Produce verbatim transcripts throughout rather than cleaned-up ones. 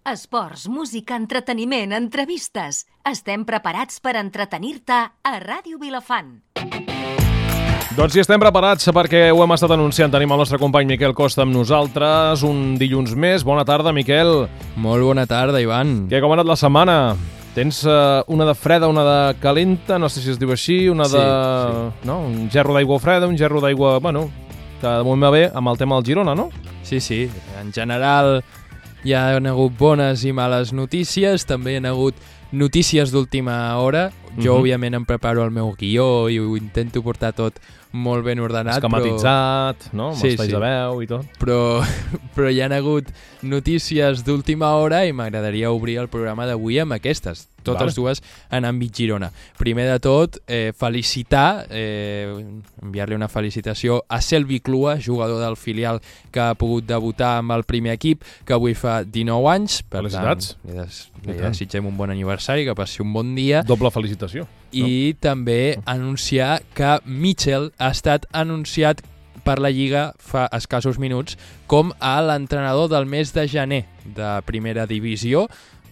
Esports, música, entreteniment, entrevistes. Estem preparats per entretenir-te a Ràdio Vilafant. Doncs sí, estem preparats perquè ho hem estat anunciant. Tenim el nostre company Miquel Costa amb nosaltres un dilluns més. Bona tarda, Miquel. Molt bona tarda, Ivan. Què, com ha anat la setmana? Tens uh, una de freda, una de calenta, no sé si es diu així, una sí, de... Sí. No? Un gerro d'aigua freda, un gerro d'aigua... Bueno, que de moment va bé amb el tema del Girona, no? Sí, sí. En general hi ha hagut bones i males notícies, també hi ha hagut notícies d'última hora. Jo, uh-huh. òbviament, em preparo el meu guió i ho intento portar tot molt ben ordenat. Esquematitzat, però... no? Amb sí, espais sí. de veu i tot. Però, però hi ha hagut notícies d'última hora i m'agradaria obrir el programa d'avui amb aquestes, totes vale. dues en àmbit Girona. Primer de tot, eh, felicitar, eh, enviar-li una felicitació a Selvi Clua, jugador del filial que ha pogut debutar amb el primer equip, que avui fa dinou anys. Per Felicitats. Tant, li, des, li desitgem un bon aniversari, que passi un bon dia. Doble felicitació. I no? també anunciar que Mitchell ha estat anunciat per la Lliga fa escassos minuts com a l'entrenador del mes de gener de primera divisió.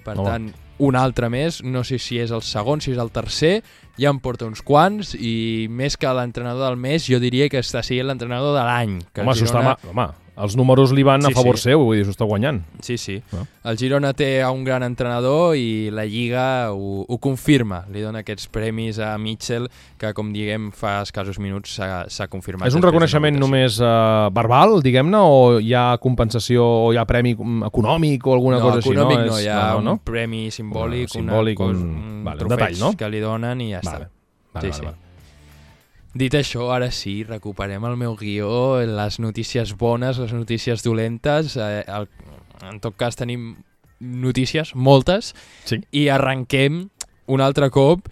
Per no. tant, un altre més, no sé si és el segon, si és el tercer, ja en porta uns quants, i més que l'entrenador del mes, jo diria que està sent l'entrenador de l'any. Home, Girona... està, home, els números li van sí, a favor sí. seu, vull dir, s'ho està guanyant. Sí, sí. No? El Girona té un gran entrenador i la Lliga ho, ho confirma. Li dona aquests premis a Mitchell, que, com diguem, fa escassos minuts s'ha confirmat. És un reconeixement només uh, verbal, diguem-ne, o hi ha compensació, o hi ha premi econòmic o alguna no, cosa així? No, econòmic no, hi ha no, no? un premi simbòlic, no, simbòlic una, un, un vale, trofeig detall, no? que li donen i ja vale. està. Vale, sí, vale, sí. vale. Dit això, ara sí, recuperem el meu guió, les notícies bones, les notícies dolentes. Eh, el, en tot cas tenim notícies, moltes, sí. i arrenquem un altre cop,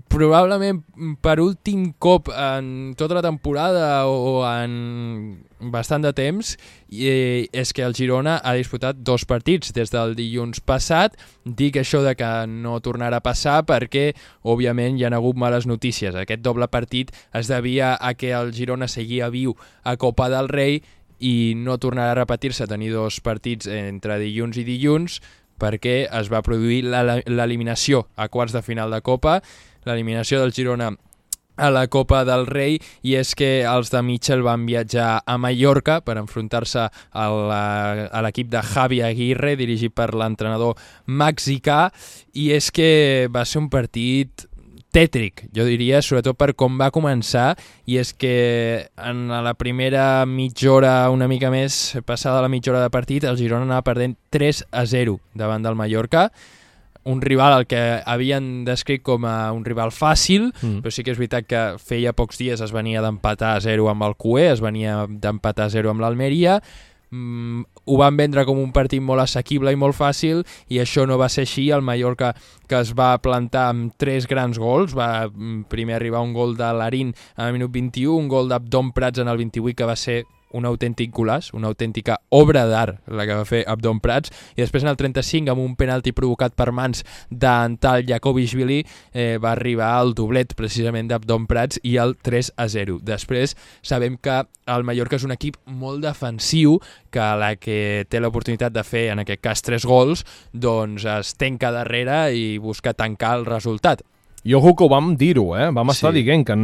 probablement per últim cop en tota la temporada o en bastant de temps, i és que el Girona ha disputat dos partits des del dilluns passat. Dic això de que no tornarà a passar perquè, òbviament, hi ha hagut males notícies. Aquest doble partit es devia a que el Girona seguia viu a Copa del Rei i no tornarà a repetir-se tenir dos partits entre dilluns i dilluns perquè es va produir l'eliminació a quarts de final de Copa, l'eliminació del Girona a la Copa del Rei, i és que els de Mitchell van viatjar a Mallorca per enfrontar-se a l'equip de Javi Aguirre, dirigit per l'entrenador mexicà, i és que va ser un partit tètric, jo diria, sobretot per com va començar, i és que en la primera mitja hora, una mica més passada la mitja hora de partit, el Girona anava perdent tres a zero davant del Mallorca, un rival al que havien descrit com a un rival fàcil, mm. però sí que és veritat que feia pocs dies es venia d'empatar a zero amb el C U E, es venia d'empatar a zero amb l'Almeria, mm, ho van vendre com un partit molt assequible i molt fàcil, i això no va ser així. El Mallorca, que es va plantar amb tres grans gols, va primer arribar un gol de Larín al minut vint-i-u, un gol d'Abdon Prats en el vint-i-vuit, que va ser un autèntic golaç, una autèntica obra d'art la que va fer Abdon Prats, i després en el trenta-cinc, amb un penalti provocat per mans d'en tal Jakovishvili, eh, va arribar el doblet precisament d'Abdon Prats i el tres a zero. Després sabem que el Mallorca és un equip molt defensiu, que a la que té l'oportunitat de fer, en aquest cas, tres gols, doncs es tanca darrere i busca tancar el resultat. I ojo que ho vam dir-ho, eh? Vam estar sí. dient que en,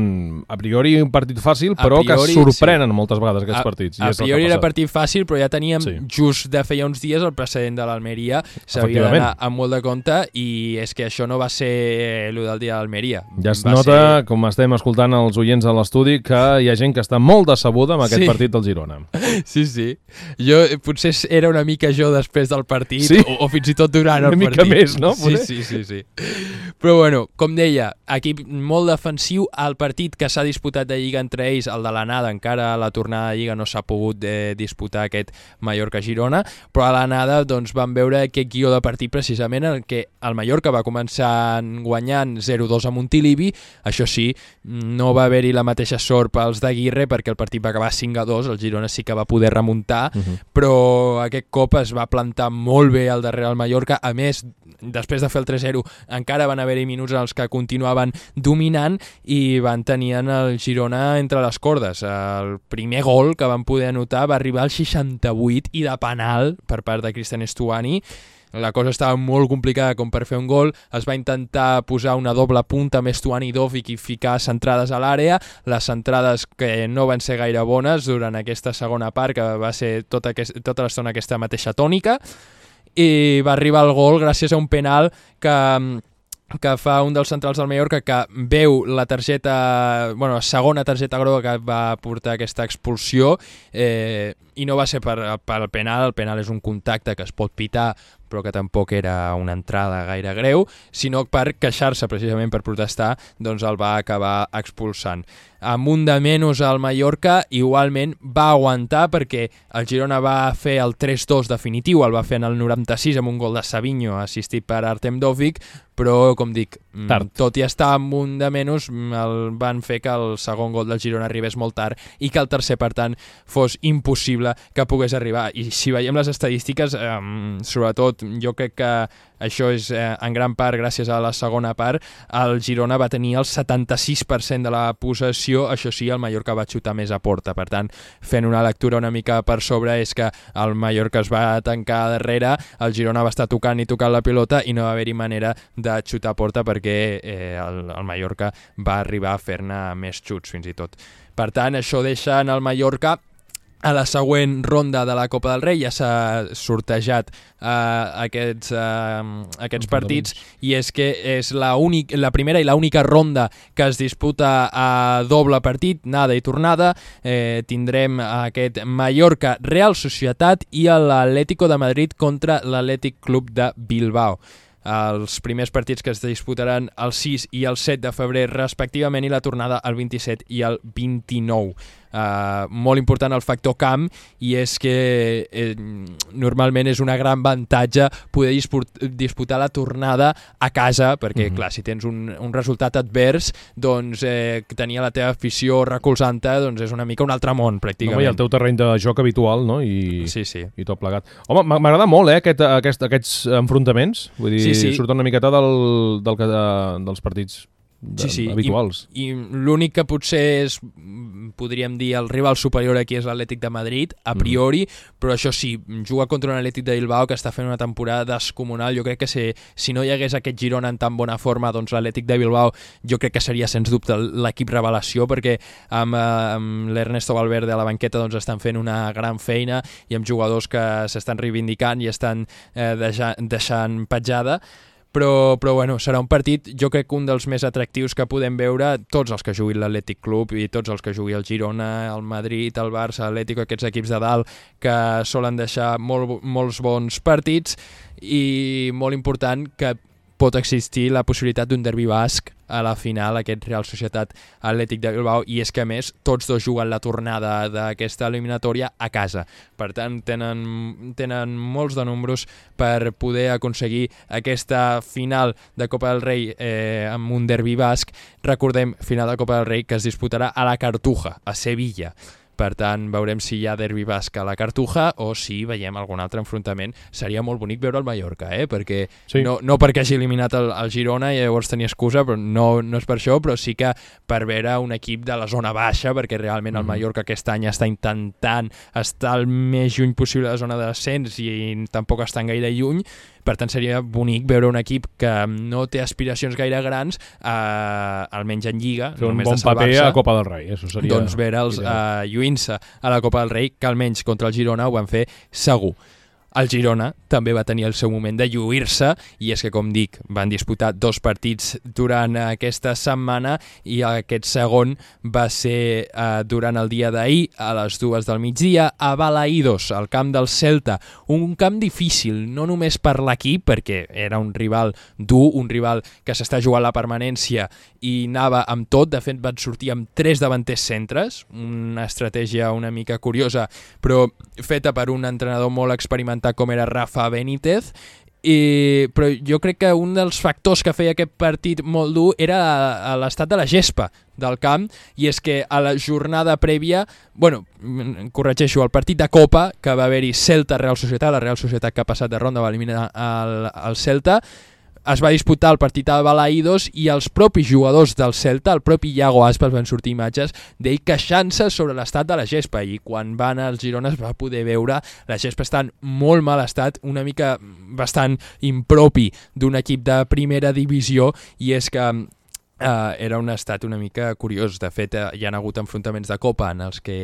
a priori un partit fàcil, però priori, que sorprenen sí. moltes vegades aquests a, partits. I a és priori era partit fàcil, però ja teníem sí. just de feia uns dies el precedent de l'Almeria. S'havia d'anar amb molt de compte, i és que això no va ser el del dia de l'Almeria. Ja es va nota, ser... com estem escoltant els oients a l'estudi, que hi ha gent que està molt decebuda amb aquest sí. partit del Girona. Sí, sí. Jo potser era una mica jo després del partit, sí? o, o fins i tot durant una el partit. Una mica més, no? Sí, sí, sí, sí. Però bueno, com deia, equip molt defensiu. El partit que s'ha disputat de Lliga entre ells, el de l'anada, encara a la tornada de Lliga no s'ha pogut eh, disputar aquest Mallorca-Girona, però a l'anada doncs, vam veure aquest guió de partit precisament en què el Mallorca va començar guanyant zero dos a Montilivi. Això sí, no va haver-hi la mateixa sort pels d'Aguirre perquè el partit va acabar cinc a dos, el Girona sí que va poder remuntar, uh-huh. però aquest cop es va plantar molt bé al darrere del Mallorca. A més, després de fer el tres zero, encara van haver-hi minuts en els que continuaven dominant i van tenir el Girona entre les cordes. El primer gol que van poder anotar va arribar al seixanta-vuit i de penal per part de Cristian Estuani. la cosa estava molt complicada com per fer un gol, es va intentar posar una doble punta amb Estuani i Dovic i ficar centrades a l'àrea, les centrades que no van ser gaire bones durant aquesta segona part, que va ser tota, aquest, tota l'estona aquesta mateixa tònica, i va arribar el gol gràcies a un penal que... que fa un dels centrals del Mallorca que veu la targeta, bueno, la segona targeta groga que va portar aquesta expulsió, eh, i no va ser per, per el penal, el penal és un contacte que es pot pitar però que tampoc era una entrada gaire greu, sinó per queixar-se precisament per protestar, doncs el va acabar expulsant. Amb un de menys al Mallorca, igualment va aguantar perquè el Girona va fer el tres dos definitiu, el va fer en el noranta-sis amb un gol de Savinho assistit per Artem Dovvik, però com dic, tard. Tot i estar amb un de menys, el van fer que el segon gol del Girona arribés molt tard i que el tercer, per tant, fos impossible que pogués arribar. I si veiem les estadístiques, eh, sobretot jo crec que això és eh, en gran part gràcies a la segona part, el Girona va tenir el setanta-sis per cent de la possessió, això sí, el Mallorca va xutar més a porta, per tant, fent una lectura una mica per sobre és que el Mallorca es va tancar darrere, el Girona va estar tocant i tocant la pilota i no va haver-hi manera de xutar a porta perquè eh, el, el Mallorca va arribar a fer-ne més xuts fins i tot. Per tant, això deixa en el Mallorca a la següent ronda de la Copa del Rei, ja s'ha sortejat uh, aquests, uh, aquests partits, i és que és la, únic, la primera i l'única ronda que es disputa a doble partit, anada i tornada. Eh, tindrem aquest Mallorca Real Societat i l'Atlético de Madrid contra l'Atlètic Club de Bilbao. Els primers partits que es disputaran el sis i el set de febrer respectivament, i la tornada el vint-i-set i el vint-i-nou. Uh, molt important el factor camp, i és que eh, normalment és una gran avantatge poder disput disputar la tornada a casa, perquè mm-hmm. clar, si tens un, un resultat advers, doncs eh, tenir la teva afició recolzant-te doncs és una mica un altre món pràcticament. Home, i el teu terreny de joc habitual, no? I, sí, sí. i tot plegat. Home, m'agrada molt eh, aquest, aquest, aquests enfrontaments, vull dir, sí, sí. surten una miqueta del, del, de, dels partits de, sí, sí. habituals. I, i l'únic que potser és, podríem dir, el rival superior aquí és l'Atlètic de Madrid, a priori, mm. però això sí, juga contra un Atlètic de Bilbao que està fent una temporada descomunal. Jo crec que si, si no hi hagués aquest Girona en tan bona forma, doncs l'Atlètic de Bilbao jo crec que seria sens dubte l'equip revelació, perquè amb, amb l'Ernesto Valverde a la banqueta doncs estan fent una gran feina i amb jugadors que s'estan reivindicant i estan eh, deixant, deixant petjada. Però, però bueno, serà un partit, jo crec que un dels més atractius que podem veure, tots els que juguin l'Atlètic Club i tots els que jugui el Girona, el Madrid, el Barça, l'Atlético, aquests equips de dalt que solen deixar molt, molts bons partits, i molt important que pot existir la possibilitat d'un derbi basc a la final, aquest Real Societat Atlètic de Bilbao, i és que a més tots dos juguen la tornada d'aquesta eliminatòria a casa. Per tant, tenen, tenen molts de números per poder aconseguir aquesta final de Copa del Rei eh, amb un derbi basc. Recordem, final de Copa del Rei que es disputarà a la Cartuja, a Sevilla. Per tant, veurem si hi ha derbi basc a la Cartuja o si veiem algun altre enfrontament. Seria molt bonic veure el Mallorca, eh? perquè sí. no, no perquè hagi eliminat el, el Girona i llavors tenia excusa, però no, no és per això, però sí que per veure un equip de la zona baixa, perquè realment mm. el Mallorca aquest any està intentant estar el més lluny possible de la zona de descens i tampoc estan gaire lluny. Per tant, seria bonic veure un equip que no té aspiracions gaire grans, eh, almenys en Lliga, fer un bon paper a Copa del Rei. Això seria doncs veure'ls eh, lluint-se a la Copa del Rei, que almenys contra el Girona ho van fer segur. El Girona també va tenir el seu moment de lluir-se, i és que, com dic, van disputar dos partits durant aquesta setmana, i aquest segon va ser eh, durant el dia d'ahir, a les dues del migdia, a Balaïdos, al camp del Celta. Un camp difícil, no només per l'equip, perquè era un rival dur, un rival que s'està jugant la permanència i anava amb tot. De fet, van sortir amb tres davanters centres, una estratègia una mica curiosa, però feta per un entrenador molt experimentat com era Rafa Benítez. I, però jo crec que un dels factors que feia aquest partit molt dur era l'estat de la gespa del camp, i és que a la jornada prèvia, bueno, corregeixo, el partit de Copa que va haver-hi Celta-Real Societat, la Real Societat que ha passat de ronda va eliminar el, el Celta, es va disputar el partit a Balaïdos i els propis jugadors del Celta, el propi Iago Aspas, van sortir imatges d'ell queixant-se sobre l'estat de la gespa, i quan va anar al Girona es va poder veure la gespa està en molt mal estat, una mica bastant impropi d'un equip de primera divisió, i és que Uh, era un estat una mica curiós. De fet, uh, hi ha hagut enfrontaments de Copa en els que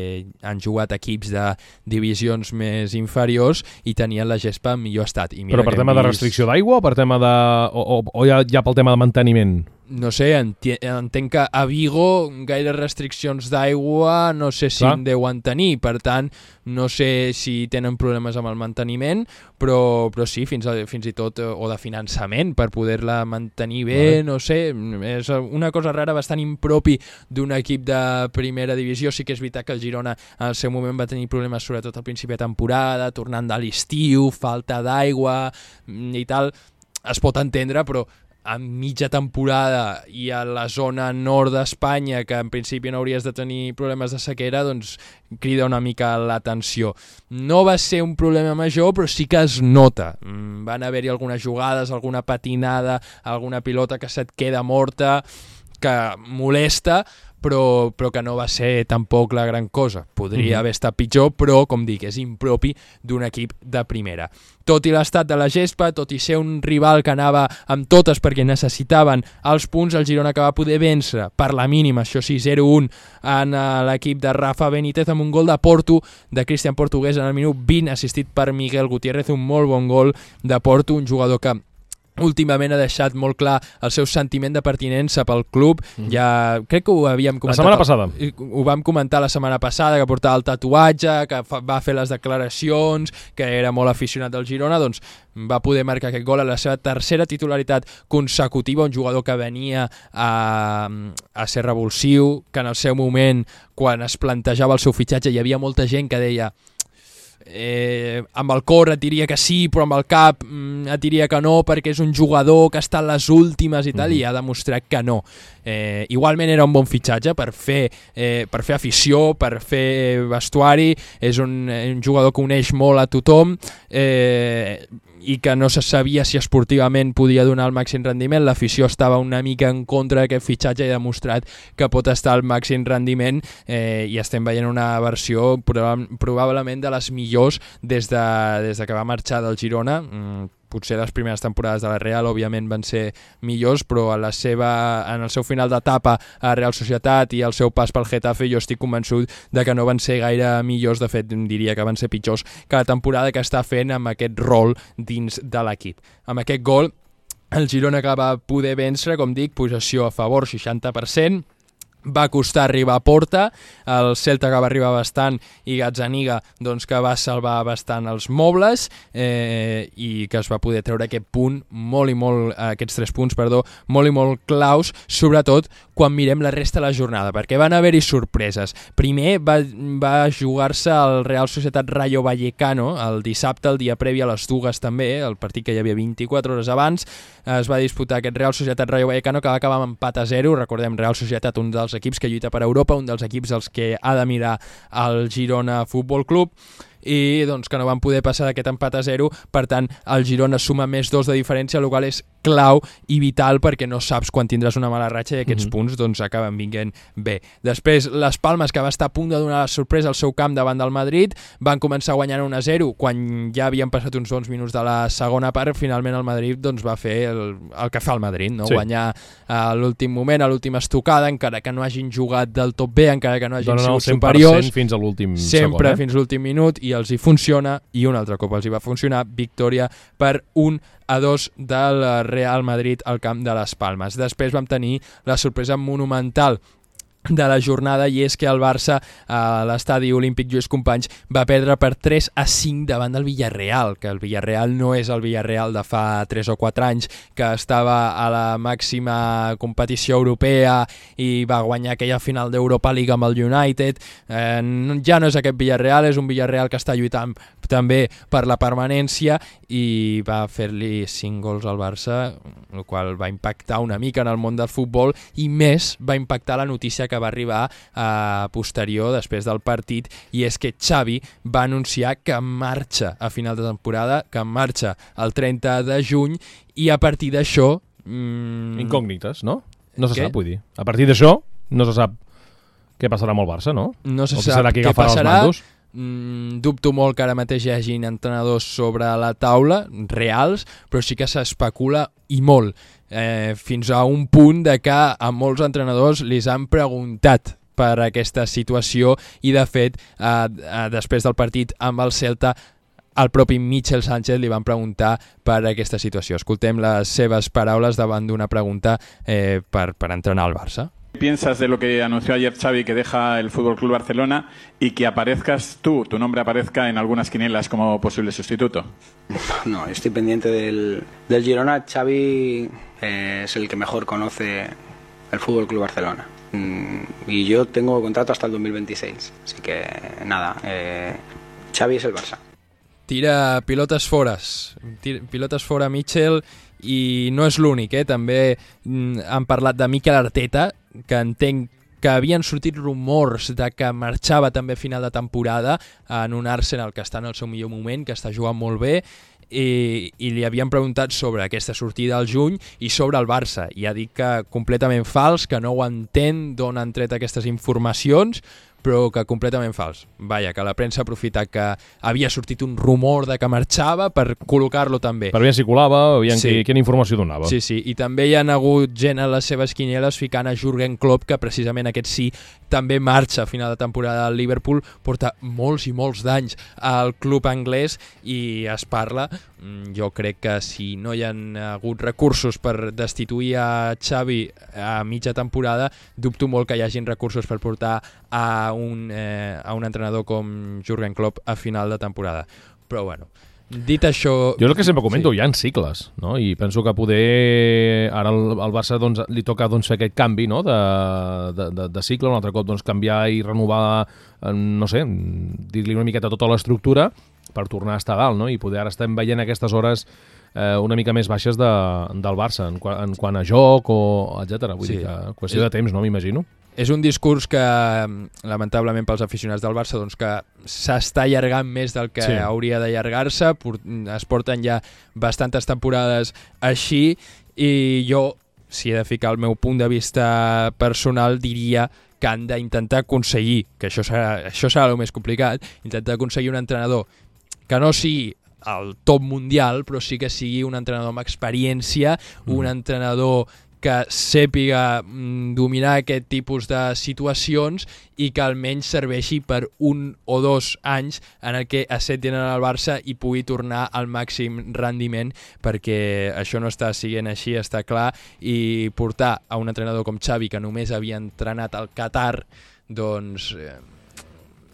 han jugat equips de divisions més inferiors i tenien la gespa en millor estat. I mira, però per tema vist... de restricció d'aigua o per tema de... o, o, o ja, ja pel tema de manteniment? No sé, entenc que a Vigo gaire restriccions d'aigua no sé si en deuen tenir, per tant no sé si tenen problemes amb el manteniment, però, però sí, fins, a, fins i tot, o de finançament per poder-la mantenir bé, vale. No sé, és una cosa rara, bastant impropi d'un equip de primera divisió. Sí que és veritat que el Girona al seu moment va tenir problemes sobretot al principi de temporada, tornant de l'estiu, falta d'aigua i tal, es pot entendre, però a mitja temporada i a la zona nord d'Espanya, que en principi no hauries de tenir problemes de sequera, doncs crida una mica l'atenció. No va ser un problema major, però sí que es nota. Van haver-hi algunes jugades, alguna patinada, alguna pilota que se't queda morta, que molesta, però, però que no va ser tampoc la gran cosa. Podria mm-hmm. haver estat pitjor, però, com dic, és impropi d'un equip de primera. Tot i l'estat de la gespa, tot i ser un rival que anava amb totes perquè necessitaven els punts, el Girona que va poder vèncer per la mínima, això sí, zero un en l'equip de Rafa Benítez amb un gol de Porto, de Cristian Portugués en el minut vint, assistit per Miguel Gutiérrez, un molt bon gol de Porto, un jugador que últimament ha deixat molt clar el seu sentiment de pertinença pel club. Mm. Ja crec que ho havíem comentat. La setmana passada. Ho vam comentar la setmana passada, que portava el tatuatge, que fa, va fer les declaracions, que era molt aficionat del Girona, doncs va poder marcar aquest gol a la seva tercera titularitat consecutiva, un jugador que venia a, a ser revulsiu, que en el seu moment, quan es plantejava el seu fitxatge, hi havia molta gent que deia Eh, amb el cor et diria que sí, però amb el cap mm, et diria que no, perquè és un jugador que està en les últimes i tal, mm. i ha demostrat que no. Eh, igualment era un bon fitxatge per fer, eh, per fer afició, per fer vestuari, és un, un jugador que uneix molt a tothom, eh, i que no se sabia si esportivament podia donar el màxim rendiment. L'afició estava una mica en contra d'aquest fitxatge i ha demostrat que pot estar al màxim rendiment, eh, i estem veient una versió proba- probablement de les millors des de, des de que va marxar del Girona. Mm, potser les primeres temporades de la Real òbviament van ser millors, però a la seva, en el seu final d'etapa a Real Societat i el seu pas pel Getafe jo estic convençut de que no van ser gaire millors. De fet, diria que van ser pitjors que la temporada que està fent amb aquest rol dins de l'equip. Amb aquest gol, el Girona que va poder vèncer, com dic, possessió a favor, seixanta per cent, va costar arribar a porta, el Celta que va arribar bastant i Gazzaniga doncs, que va salvar bastant els mobles, eh, i que es va poder treure aquest punt molt i molt, aquests tres punts, perdó, molt i molt claus, sobretot quan mirem la resta de la jornada, perquè van haver-hi sorpreses. Primer va, va jugar-se el Real Societat Rayo Vallecano el dissabte, el dia previ a les dues també, el partit que hi havia vint-i-quatre hores abans, es va disputar aquest Real Societat Rayo Vallecano que va acabar amb empat a zero. Recordem, Real Societat, un dels equips que lluita per Europa, un dels equips als que ha de mirar el Girona Futbol Club, i doncs que no van poder passar d'aquest empat a zero. Per tant, el Girona suma més dos de diferència, el qual és clau i vital perquè no saps quan tindràs una mala ratxa i aquests mm-hmm. punts doncs acaben vinguent bé. Després, les Palmes, que va estar a punt de donar la sorpresa al seu camp davant del Madrid, van començar guanyant un a zero quan ja havien passat uns bons minuts de la segona part. Finalment el Madrid doncs, va fer el, el que fa el Madrid, no? Sí. Guanyar a l'últim moment, a l'última estocada, encara que no hagin jugat del tot bé, encara que no hagin Donen sigut superiors, fins a l'últim sempre segon, eh? fins a l'últim minut, i els hi funciona, i un altre cop els hi va funcionar, victòria per un a dos del Real Madrid al camp de les Palmes. Després vam tenir la sorpresa monumental de la jornada, i és que el Barça a l'estadi Olímpic Lluís Companys va perdre per tres a cinc davant del Villarreal, que el Villarreal no és el Villarreal de fa tres o quatre anys, que estava a la màxima competició europea i va guanyar aquella final d'Europa League amb el United. Eh, ja no és aquest Villarreal, és un Villarreal que està lluitant també per la permanència, i va fer-li cinc gols al Barça, el qual va impactar una mica en el món del futbol i més va impactar la notícia que va arribar a posterior després del partit, i és que Xavi va anunciar que marxa a final de temporada, que marxa el trenta de juny, i a partir d'això... Mmm... Incògnites, no? No se Què? sap, vull dir. A partir d'això no se sap què passarà amb el Barça, no? No se o sap serà qui què agafarà passarà. els mandos? Mm, dubto molt que ara mateix hi hagin entrenadors sobre la taula, reals, però sí que s'especula i molt, eh, fins a un punt de que a molts entrenadors li han preguntat per aquesta situació i de fet eh, eh, després del partit amb el Celta al propi Michel Sánchez li van preguntar per aquesta situació. Escoltem les seves paraules davant d'una pregunta eh, per, per entrenar al Barça. ¿Qué piensas de lo que anunció ayer Xavi, que deja el F C Barcelona y que aparezcas tú, tu nombre aparezca en algunas quinielas como posible sustituto? No, estoy pendiente del, del Girona. Xavi eh, es el que mejor conoce el F C Barcelona. Mm, y yo tengo contrato hasta el dos mil veintiséis. Así que nada, eh, Xavi es el Barça. Tira pilotes fores, tira pilotes fora Michel, i no és l'únic, eh? També mm, han parlat de Mikel Arteta, que entenc que havien sortit rumors de que marxava també a final de temporada en un Arsenal que està en el seu millor moment, que està jugant molt bé, i, i li havien preguntat sobre aquesta sortida al juny i sobre el Barça, i ha dit que completament fals, que no ho entén d'on han tret aquestes informacions, però que completament fals. Vaja, que la premsa ha aprofitat que havia sortit un rumor de que marxava per col·locar-lo també. Per veure si colava, veient Sí. qui, quina informació donava. Sí, sí, i també hi ha hagut gent a les seves quinieles ficant a Jürgen Klopp, que precisament aquest sí també marxa a final de temporada al Liverpool, porta molts i molts d'anys al club anglès i es parla, jo crec que si no hi ha hagut recursos per destituir a Xavi a mitja temporada, dubto molt que hi hagin recursos per portar a un, eh, a un entrenador com Jürgen Klopp a final de temporada. Però bueno, dit això... Jo el que sempre comento, sí. Hi ha cicles, no? I penso que poder ara al, al Barça doncs, li toca doncs, fer aquest canvi, no? de, de, de, de cicle, un altre cop doncs, canviar i renovar, no sé, dir-li una miqueta tota l'estructura per tornar a estar dalt, no? I poder ara estem veient aquestes hores eh, una mica més baixes de, del Barça en, en quant a joc o etcètera. Vull Sí. dir que qüestió de temps, no? M'imagino. És un discurs que, lamentablement pels aficionats del Barça, doncs que s'està allargant més del que Sí. hauria d'allargar-se. Es porten ja bastantes temporades així i jo, si he de ficar el meu punt de vista personal, diria que han d'intentar aconseguir, que això serà, això serà el més complicat, intentar aconseguir un entrenador que no sigui el top mundial, però sí que sigui un entrenador amb experiència, mm. un entrenador que sàpiga mm, dominar aquest tipus de situacions i que almenys serveixi per un o dos anys en el que assentin al Barça i pugui tornar al màxim rendiment, perquè això no està siguent així, està clar, i portar a un entrenador com Xavi, que només havia entrenat al Qatar, doncs... Eh,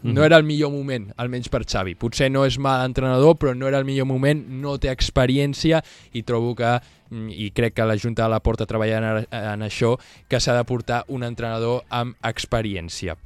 no era el millor moment, almenys per Xavi. Potser no és mal entrenador, però no era el millor moment, no té experiència i trobo que, i crec que la Junta de la Porta treballa en, en això, que s'ha de portar un entrenador amb experiència.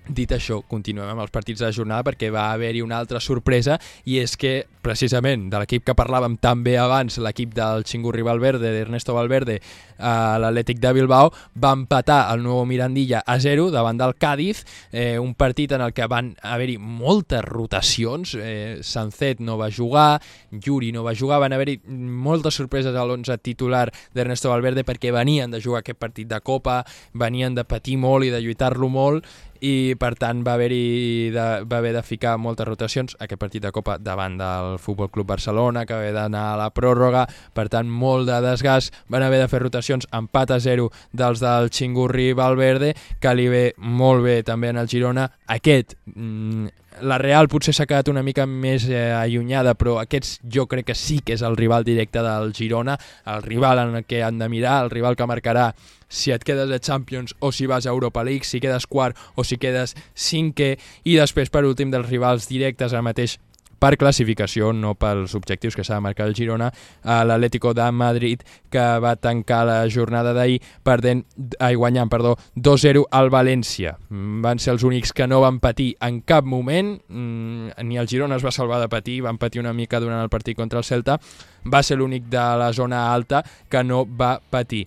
Dit això, continuem amb els partits de la jornada perquè va haver-hi una altra sorpresa, i és que, precisament, de l'equip que parlàvem tan bé abans, l'equip del Chingurri Valverde, d'Ernesto Valverde, a l'Atlètic de Bilbao, va empatar el Nuevo Mirandilla a zero davant del Cádiz, eh, un partit en el que van haver-hi moltes rotacions, eh, Sancet no va jugar, Yuri no va jugar, van haver-hi moltes sorpreses a l'onze titular d'Ernesto Valverde perquè venien de jugar aquest partit de Copa, venien de patir molt i de lluitar-lo molt, i per tant va haver-hi de, va haver de ficar moltes rotacions aquest partit de Copa davant del Futbol Club Barcelona, que va haver d'anar a la pròrroga, per tant molt de desgast, van haver de fer rotacions, empat a zero dels del Chingurri Valverde, que li ve molt bé també en el Girona. Aquest, mmm, la Real potser s'ha quedat una mica més eh, allunyada, però aquests jo crec que sí que és el rival directe del Girona, el rival en el que han de mirar, el rival que marcarà si et quedes a Champions o si vas a Europa League, si quedes quart o si quedes cinquè, i després per últim dels rivals directes ara mateix per classificació, no pels objectius que s'ha de marcar el Girona, a l'Atlético de Madrid, que va tancar la jornada d'ahir perdent, ai, guanyant perdó, dos zero al València. Van ser els únics que no van patir en cap moment, ni el Girona es va salvar de patir, van patir una mica durant el partit contra el Celta, va ser l'únic de la zona alta que no va patir.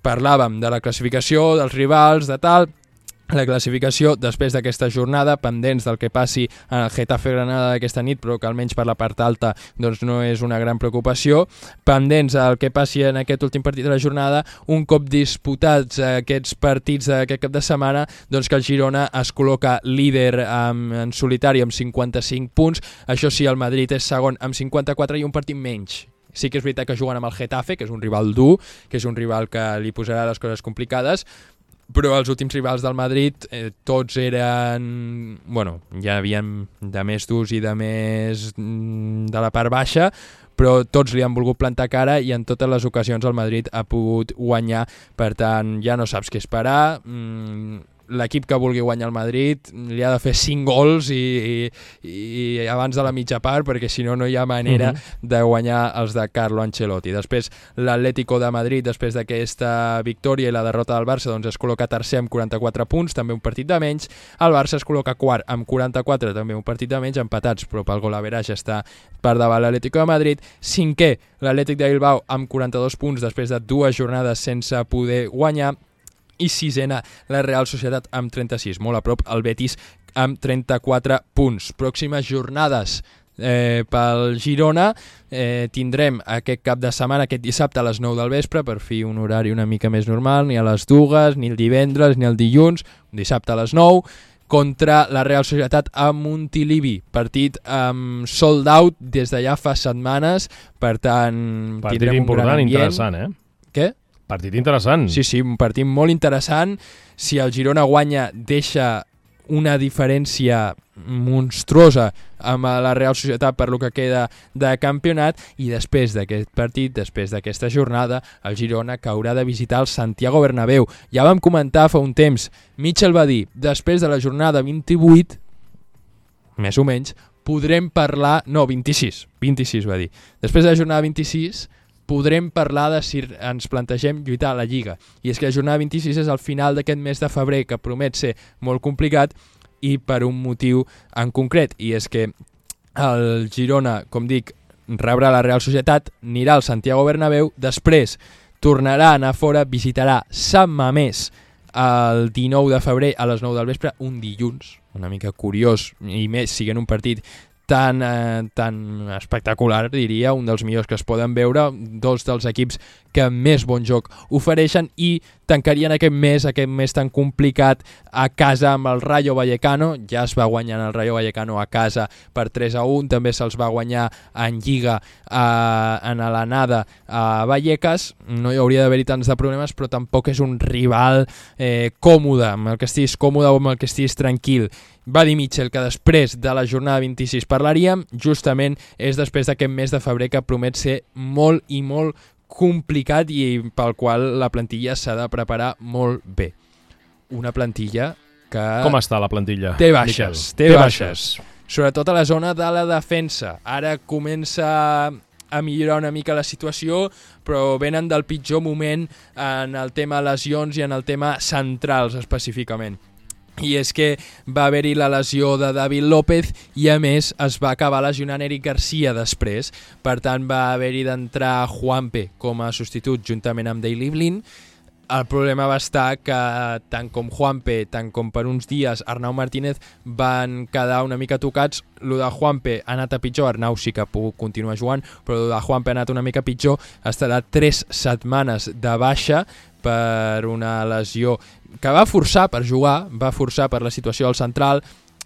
Parlàvem de la classificació, dels rivals, de tal. La classificació, després d'aquesta jornada, pendents del que passi en el Getafe Granada d'aquesta nit, però que almenys per la part alta doncs no és una gran preocupació. Pendents del que passi en aquest últim partit de la jornada, un cop disputats aquests partits d'aquest cap de setmana, doncs que el Girona es col·loca líder en, en solitari amb cinquanta-cinc punts. Això sí, el Madrid és segon amb cinquanta-quatre i un partit menys. Sí que és veritat que juguen amb el Getafe, que és un rival dur, que és un rival que li posarà les coses complicades, però els últims rivals del Madrid eh, tots eren... Bueno, ja havien de més durs i de més de la part baixa, però tots li han volgut plantar cara i en totes les ocasions el Madrid ha pogut guanyar. Per tant, ja no saps què esperar. Mm, l'equip que vulgui guanyar el Madrid li ha de fer cinc gols i, i, i abans de la mitja part, perquè si no no hi ha manera uh-huh. de guanyar els de Carlo Ancelotti. Després l'Atlético de Madrid, després d'aquesta victòria i la derrota del Barça, doncs es col·loca tercer amb quaranta-quatre punts, també un partit de menys. El Barça es col·loca quart amb quaranta-quatre, també un partit de menys, empatats, però pel gol average està per davant l'Atlético de Madrid. Cinquè, l'Atlètic de Bilbao amb quaranta-dos punts després de dues jornades sense poder guanyar. I sisena, la Real Societat amb trenta-sis, molt a prop el Betis amb trenta-quatre punts. Pròximes jornades eh, pel Girona, eh, tindrem aquest cap de setmana, aquest dissabte a les nou del vespre, per fi un horari una mica més normal, ni a les dues, ni el divendres, ni el dilluns, un dissabte a les nou, contra la Real Societat a Montilivi, partit amb um, sold out des de ja fa setmanes, per tant partit tindrem un gran ambient. Interessant, eh? Què? Partit interessant. Sí, sí, un partit molt interessant. Si el Girona guanya, deixa una diferència monstruosa amb la Real Societat per lo que queda de campionat, i després d'aquest partit, després d'aquesta jornada, el Girona que haurà de visitar el Santiago Bernabéu. Ja vam comentar fa un temps, Mitchell va dir, després de la jornada vint-i-vuit, més o menys, podrem parlar... No, vint-i-sis, vint-i-sis va dir. Després de la jornada vint-i-sis... podrem parlar de si ens plantegem lluitar a la Lliga. I és que la jornada vint-i-sis és al final d'aquest mes de febrer, que promet ser molt complicat, i per un motiu en concret, i és que el Girona, com dic, rebrà la Real Societat, anirà al Santiago Bernabéu, després tornarà a anar fora, visitarà Sant Mamés el dinou de febrer a les nou del vespre, un dilluns, una mica curiós, i més siguent un partit tan, eh, tan espectacular, diria, un dels millors que es poden veure, dos dels equips que més bon joc ofereixen, i tancarien aquest mes, aquest mes tan complicat, a casa amb el Rayo Vallecano. Ja es va guanyar el Rayo Vallecano a casa per tres a un, també se'ls va guanyar en Lliga eh, en l'anada a Vallecas. No hi hauria d'haver-hi tants de problemes, però tampoc és un rival eh, còmode, amb el que estiguis còmode o amb el que estiguis tranquil. Va dir Mitchell que després de la jornada vint-i-sis parlaríem, justament és després d'aquest mes de febrer que promet ser molt i molt complicat i pel qual la plantilla s'ha de preparar molt bé. Una plantilla que... Com està la plantilla? Té baixes, té, té baixes. baixes. Sobretot a la zona de la defensa. Ara comença a millorar una mica la situació, però venen del pitjor moment en el tema lesions i en el tema centrals específicament. I és que va haver-hi la lesió de David López i a més es va acabar lesionant Eric Garcia després, per tant va haver-hi d'entrar Juanpe com a substitut juntament amb Daley Blind. El problema va estar que tant com Juanpe, tant com per uns dies Arnau Martínez van quedar una mica tocats. Lo de Juanpe ha anat a pitjor, Arnau sí que ha pogut continuar jugant, però lo de Juanpe ha anat una mica pitjor, estarà tres setmanes de baixa per una lesió que va forçar per jugar, va forçar per la situació del central,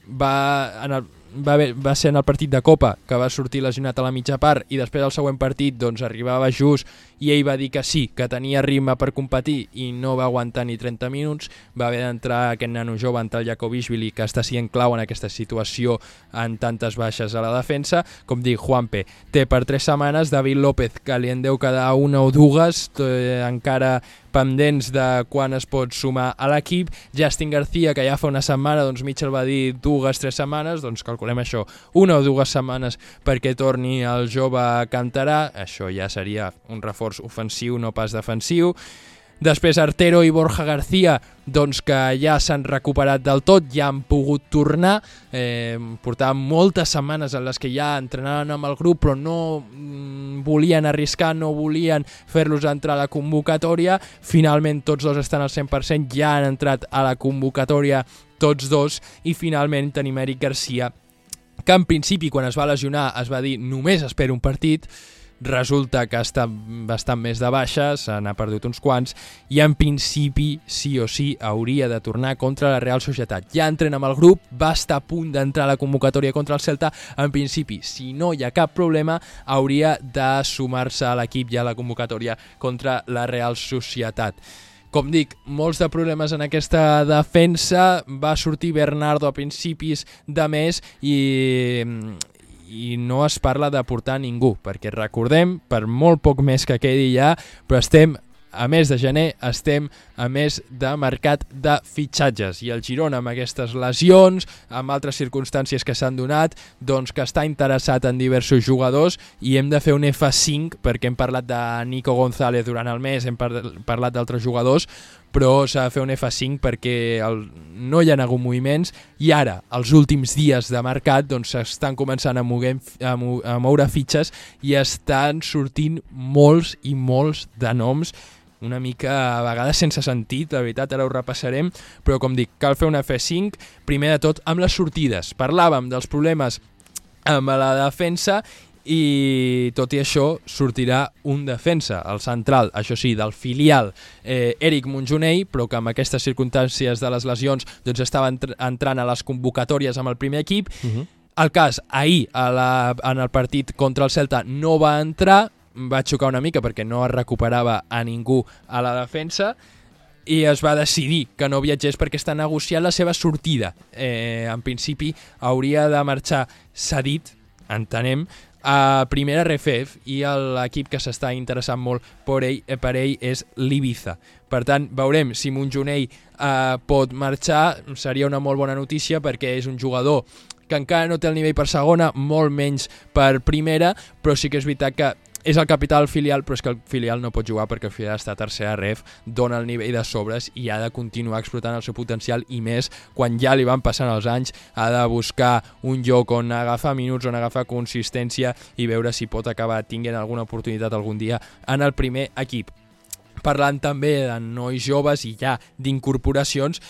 va, en el, va, haver, va ser en el partit de Copa que va sortir lesionat a la mitja part i després al següent partit doncs arribava just i ell va dir que sí, que tenia ritme per competir i no va aguantar ni trenta minuts, va haver d'entrar aquest nano jove, en tal Jakobishvili, que està sent clau en aquesta situació en tantes baixes a la defensa. Com dic, Juanpe té per tres setmanes, David López que li en deu quedar una o dues, eh, encara pendents de quan es pot sumar a l'equip. Justin García, que ja fa una setmana, doncs Mitchell va dir dues, tres setmanes, doncs calculem això, una o dues setmanes perquè torni el jove Cantarà. Això ja seria un reforç ofensiu, no pas defensiu. Després Artero i Borja García, doncs que ja s'han recuperat del tot, ja han pogut tornar, eh, portaven moltes setmanes en les que ja entrenaven amb el grup però no mm, volien arriscar, no volien fer-los entrar a la convocatòria. Finalment tots dos estan al cent per cent, ja han entrat a la convocatòria tots dos, i finalment tenim Eric Garcia, que en principi quan es va lesionar es va dir només espera un partit. Resulta que està bastant més de baixa, se n'ha perdut uns quants, i en principi sí o sí hauria de tornar contra la Real Societat. Ja entrena amb el grup, va estar a punt d'entrar a la convocatòria contra el Celta. En principi, si no hi ha cap problema, hauria de sumar-se a l'equip ja a la convocatòria contra la Real Societat. Com dic, molts de problemes en aquesta defensa. Va sortir Bernardo a principis de mes i... i no es parla de portar ningú, perquè recordem, per molt poc més que quedi ja, però estem a mes de gener, estem a mes de mercat de fitxatges, i el Girona amb aquestes lesions, amb altres circumstàncies que s'han donat, doncs que està interessat en diversos jugadors, i hem de fer un F cinc, perquè hem parlat de Nico González durant el mes, hem par parlat d'altres jugadors, però s'ha de fer un F cinc perquè el, no hi ha hagut moviments, i ara, els últims dies de mercat, doncs s'estan començant a, moguem, a, mo a moure fitxes i estan sortint molts i molts de noms, una mica a vegades sense sentit, la veritat, ara ho repassarem, però com dic, cal fer un F cinc, primer de tot amb les sortides. Parlàvem dels problemes amb la defensa, i tot i això sortirà un defensa, el central, això sí, del filial, eh, Eric Monjonei, però que amb aquestes circumstàncies de les lesions doncs estava entr entrant a les convocatòries amb el primer equip. Uh-huh. El cas, ahir a la, en el partit contra el Celta no va entrar, va xocar una mica perquè no es recuperava a ningú a la defensa, i es va decidir que no viatgés perquè està negociant la seva sortida. Eh, en principi hauria de marxar cedit, entenem, a primera R F F, i l'equip que s'està interessant molt per ell, per ell és l'Ibiza. Per tant, veurem si Monjonei eh, pot marxar. Seria una molt bona notícia perquè és un jugador que encara no té el nivell per segona, molt menys per primera, però sí que és veritat que és el capital del filial, però és que el filial no pot jugar perquè el filial està a tercera ref, dona el nivell de sobres i ha de continuar explotant el seu potencial, i més quan ja li van passant els anys, ha de buscar un lloc on agafar minuts, on agafar consistència i veure si pot acabar tinguent alguna oportunitat algun dia en el primer equip. Parlant també de nois joves i ja d'incorporacions,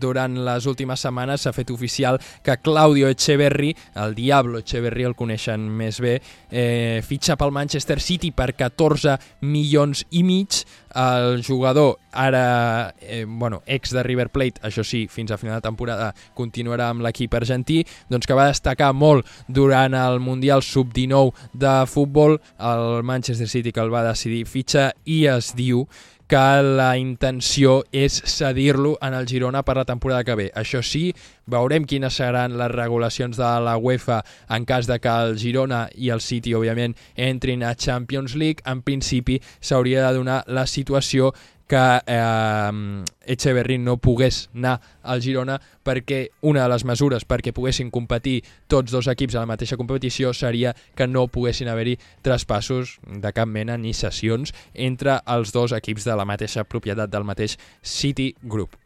durant les últimes setmanes s'ha fet oficial que Claudio Echeverri, el Diablo Echeverri el coneixen més bé, eh, fitxa pel Manchester City per catorze milions i mig. El jugador, ara eh, bueno, ex de River Plate, això sí, fins a final de temporada continuarà amb l'equip argentí, doncs que va destacar molt durant el Mundial sub dinou de futbol, el Manchester City que el va decidir fitxar, i es diu que la intenció és cedir-lo en el Girona per la temporada que ve. Això sí, veurem quines seran les regulacions de la UEFA en cas de que el Girona i el City, òbviament, entrin a Champions League. En principi, s'hauria de donar la situació que eh, Echeverri no pogués anar al Girona, perquè una de les mesures perquè poguessin competir tots dos equips a la mateixa competició seria que no poguessin haver-hi traspassos de cap mena ni cessions entre els dos equips de la mateixa propietat del mateix City Group.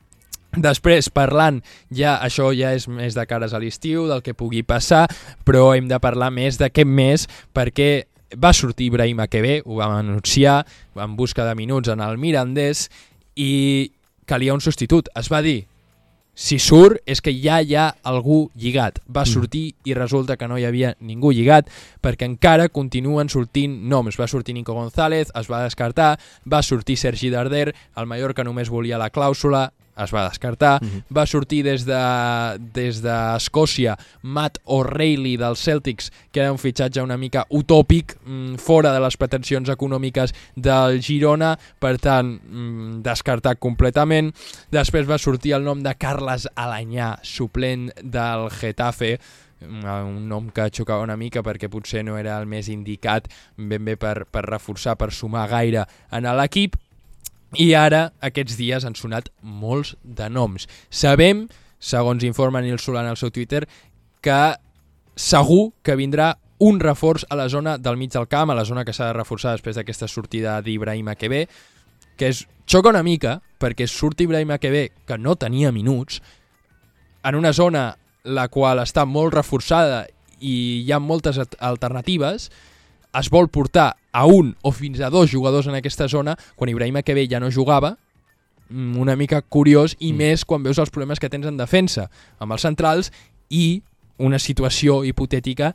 Després, parlant, ja això ja és més de cares a l'estiu, del que pugui passar, però hem de parlar més d'aquest mes perquè va sortir Ibrahima Kebe, ho vam anunciar, en busca de minuts en el Mirandés, i calia un substitut. Es va dir, si surt és que ja hi ha algú lligat. Va sortir i resulta que no hi havia ningú lligat, perquè encara continuen sortint noms. Va sortir Nico González, es va descartar, va sortir Sergi Darder, el Mallorca només volia la clàusula, es va descartar, uh-huh. Va sortir des de des d'Escòcia Matt O'Reilly dels Celtics, que era un fitxatge una mica utòpic, mmm, fora de les pretensions econòmiques del Girona, per tant, mmm, descartat completament. Després va sortir el nom de Carles Alanyà, suplent del Getafe, un nom que xocava una mica perquè potser no era el més indicat ben bé per, per reforçar, per sumar gaire en l'equip. I ara, aquests dies, han sonat molts de noms. Sabem, segons informa Nil Solana al seu Twitter, que segur que vindrà un reforç a la zona del mig del camp, a la zona que s'ha de reforçar després d'aquesta sortida d'Ibrahima Kebe, que és, xoca una mica, perquè surt Ibrahima Kebe, que no tenia minuts, en una zona la qual està molt reforçada i hi ha moltes alternatives, es vol portar a un o fins a dos jugadors en aquesta zona quan Ibrahima Kebe ja no jugava, una mica curiós, i mm. més quan veus els problemes que tens en defensa amb els centrals i una situació hipotètica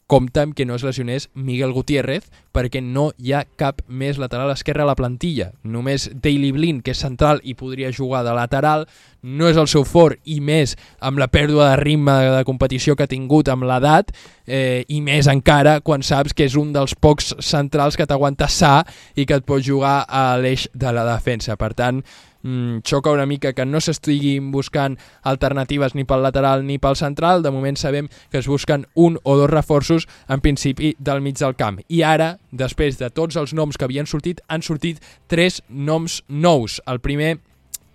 compta amb que no es lesionés Miguel Gutiérrez perquè no hi ha cap més lateral esquerre a la plantilla. Només Daley Blind, que és central i podria jugar de lateral, no és el seu fort i més amb la pèrdua de ritme de competició que ha tingut amb l'edat eh, i més encara quan saps que és un dels pocs centrals que t'aguanta sa i que et pot jugar a l'eix de la defensa. Per tant, Mm, xoca una mica que no s'estiguin buscant alternatives ni pel lateral ni pel central. De moment sabem que es busquen un o dos reforços en principi del mig del camp. I ara, després de tots els noms que havien sortit, han sortit tres noms nous. El primer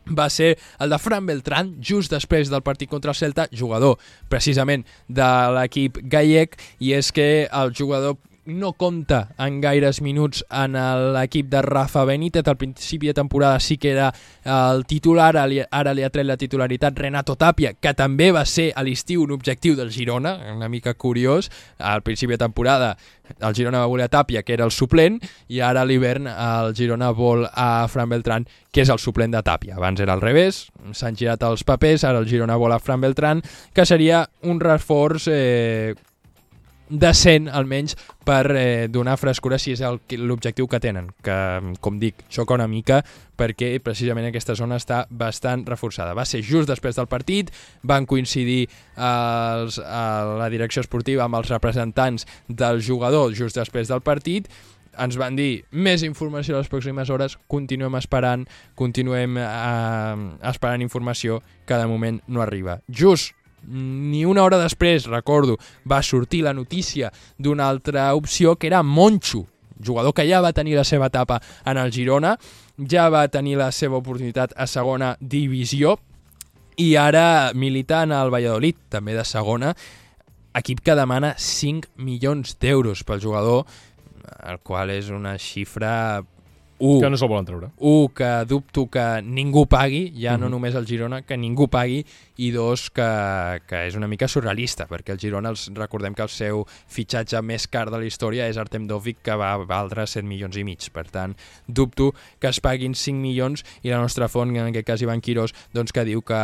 va ser el de Fran Beltrán, just després del partit contra el Celta, jugador precisament de l'equip gallec, i és que el jugador no compta en gaires minuts en l'equip de Rafa Benítez. Al principi de temporada sí que era el titular, ara li ha tret la titularitat Renato Tapia, que també va ser a l'estiu un objectiu del Girona, una mica curiós. Al principi de temporada el Girona va voler a Tapia, que era el suplent, i ara a l'hivern el Girona vol a Fran Beltrán, que és el suplent de Tapia. Abans era al revés, s'han girat els papers, ara el Girona vol a Fran Beltrán, que seria un reforç eh, decent, almenys, per eh, donar frescura si és l'objectiu que tenen, que, com dic, xoca una mica perquè precisament aquesta zona està bastant reforçada. Va ser just després del partit, van coincidir els, a la direcció esportiva amb els representants del jugador just després del partit, ens van dir més informació les pròximes hores, continuem esperant, continuem eh, esperant informació que de moment no arriba. Just ni una hora després, recordo, va sortir la notícia d'una altra opció que era Monchu, jugador que ja va tenir la seva etapa en el Girona, ja va tenir la seva oportunitat a segona divisió i ara milita en el Valladolid, també de segona, equip que demana cinc milions d'euros pel jugador, el qual és una xifra... Un, que no se'l volen treure. Un, que dubto que ningú pagui, ja mm-hmm. no només el Girona, que ningú pagui, i dos, que, que és una mica surrealista, perquè el Girona, els, recordem que el seu fitxatge més car de la història és Artem Dovbyk, que va valdre set milions i mig. Per tant, dubto que es paguin cinc milions, i la nostra font, en aquest cas Ivan Quirós, doncs que diu que,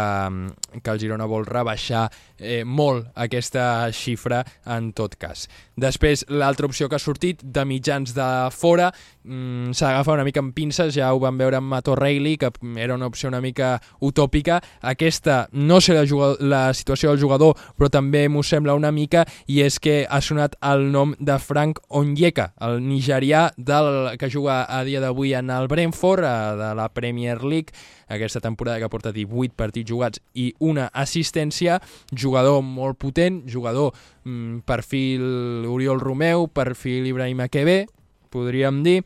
que el Girona vol rebaixar eh, molt aquesta xifra en tot cas. Després, l'altra opció que ha sortit, de mitjans de fora, mmm, s'agafa una mica amb pinces, ja ho vam veure amb Matt O'Reilly, que era una opció una mica utòpica. Aquesta no sé la, jugador, la situació del jugador, però també m'ho sembla una mica, i és que ha sonat el nom de Frank Onyeka, el nigerià del, que juga a dia d'avui en el Brentford, de la Premier League, aquesta temporada que porta divuit partits jugats i una assistència, jugador molt potent, jugador mm, perfil Oriol Romeu, perfil Ibrahima Kebe, podríem dir,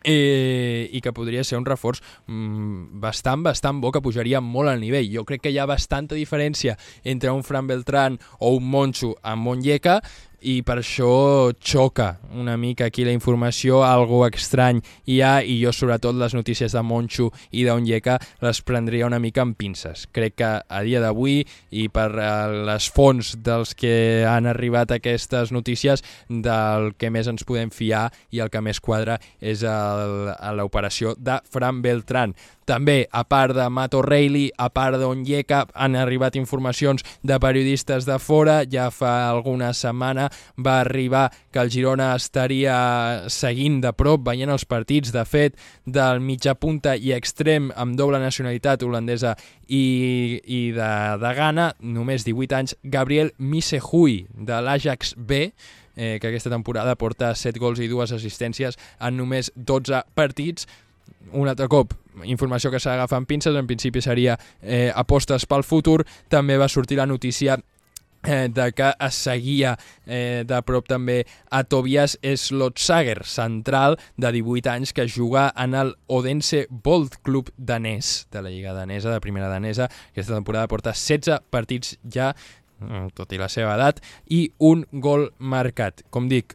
Eh, i que podria ser un reforç mm, bastant, bastant bo, que pujaria molt al nivell. Jo crec que hi ha bastanta diferència entre un Fran Beltrán o un Monchu amb Onyeka, i per això xoca una mica aquí la informació, algo estrany hi ha, i jo sobretot les notícies de Monchu i d'Onyeka les prendria una mica amb pinces. Crec que a dia d'avui, i per uh, les fonts dels que han arribat aquestes notícies, del que més ens podem fiar i el que més quadra és l'operació de Fran Beltrán. També, a part de Matt O'Reilly, a part d'Onyeka, han arribat informacions de periodistes de fora. Ja fa alguna setmana va arribar que el Girona estaria seguint de prop, veient els partits, de fet, del mitjapunta i extrem amb doble nacionalitat holandesa i, i de, de Ghana, només divuit anys, Gabriel Misehui, de l'Ajax B, eh, que aquesta temporada porta set gols i dues assistències en només dotze partits. Un altre cop, informació que s'ha d'agafar amb pinces, en principi seria eh, apostes pel futur. També va sortir la notícia eh, de que es seguia eh, de prop també a Tobias Slotsager, central de divuit anys que juga en el Odense Bold Club danès, de la Lliga danesa, de primera danesa. Aquesta temporada porta setze partits ja, tot i la seva edat, i un gol marcat. Com dic,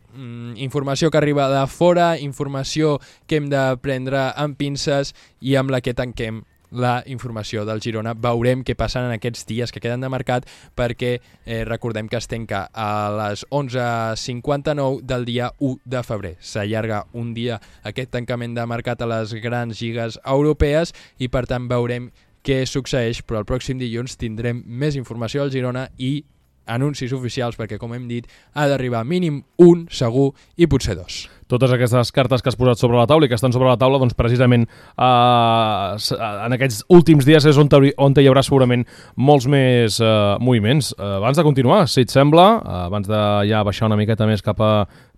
informació que arriba de fora, informació que hem de prendre amb pinces i amb la que tanquem la informació del Girona. Veurem què passen en aquests dies que queden de mercat, perquè eh, recordem que es tanca a les onze cinquanta-nou del dia u de febrer. S'allarga un dia aquest tancament de mercat a les grans lligues europees i per tant veurem què succeeix, però el pròxim dilluns tindrem més informació del Girona i anuncis oficials, perquè, com hem dit, ha d'arribar mínim un, segur, i potser dos. Totes aquestes cartes que has posat sobre la taula i que estan sobre la taula, doncs precisament eh, en aquests últims dies és on, on hi haurà segurament molts més eh, moviments. Eh, abans de continuar, si et sembla, eh, abans de ja baixar una miqueta més cap a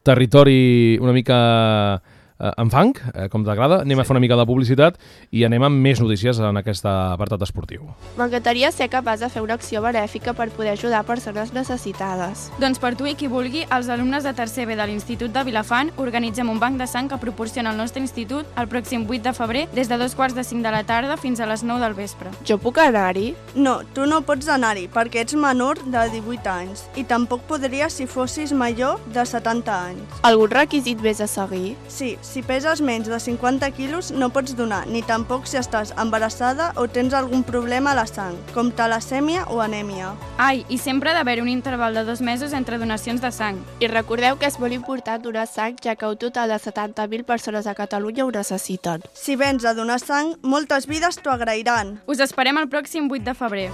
territori una mica eh, en fang, eh, com t'agrada, anem sí. a fer una mica de publicitat i anem amb més notícies en aquest apartat esportiu. M'encantaria ser capaç de fer una acció benèfica per poder ajudar persones necessitades. Doncs per tu i qui vulgui, els alumnes de tercer B de l'Institut de Vilafant organitzem un banc de sang que proporciona el nostre institut el pròxim vuit de febrer des de dos quarts de cinc de la tarda fins a les nou del vespre. Jo puc anar-hi? No, tu no pots anar-hi perquè ets menor de divuit anys i tampoc podries si fossis major de setanta anys. Algun requisit més a seguir? Sí, si peses menys de cinquanta quilos no pots donar, ni tampoc si estàs embarassada o tens algun problema a la sang, com talassèmia o anèmia. Ai, i sempre ha d'haver un interval de dos mesos entre donacions de sang. I recordeu que és molt important donar sang, ja que un total de setanta mil persones a Catalunya ho necessiten. Si vens a donar sang, moltes vides t'ho agrairan. Us esperem el pròxim vuit de febrer.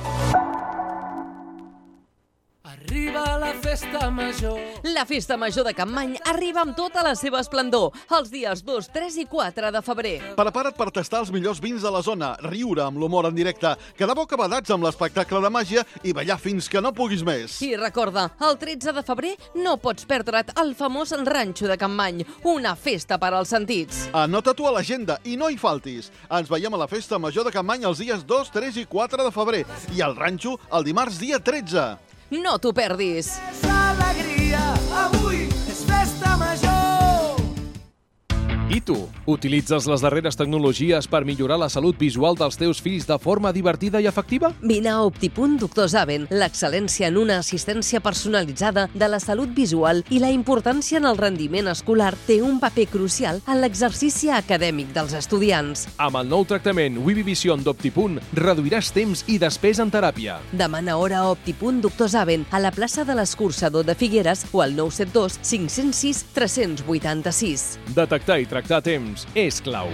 Arriba la festa major. La festa major de Capmany arriba amb tota la seva esplendor els dies dos, tres i quatre de febrer. Prepara't per tastar els millors vins de la zona, riure amb l'humor en directe, quedar bocabadats amb l'espectacle de màgia i ballar fins que no puguis més. I recorda, el tretze de febrer no pots perdre't el famós Ranxo de Capmany, una festa per als sentits. Anota-t'ho a l'agenda i no hi faltis. Ens veiem a la festa major de Capmany els dies dos, tres i quatre de febrer i al Ranxo el dimarts dia tretze. No t'ho perdis. És alegria, avui és festa major. I tu, utilitzes les darreres tecnologies per millorar la salut visual dels teus fills de forma divertida i efectiva? Vine a Optipunt Doctor Zaven, l'excel·lència en una assistència personalitzada de la salut visual i la importància en el rendiment escolar té un paper crucial en l'exercici acadèmic dels estudiants. Amb el nou tractament Vivivision d'Optipunt reduiràs temps i despesa en teràpia. Demana hora a Optipunt Doctor Zaven a la plaça de l'Escurçador de Figueres o al nou set dos, cinc zero sis, tres vuit sis. Detectar i tractar a temps és clau.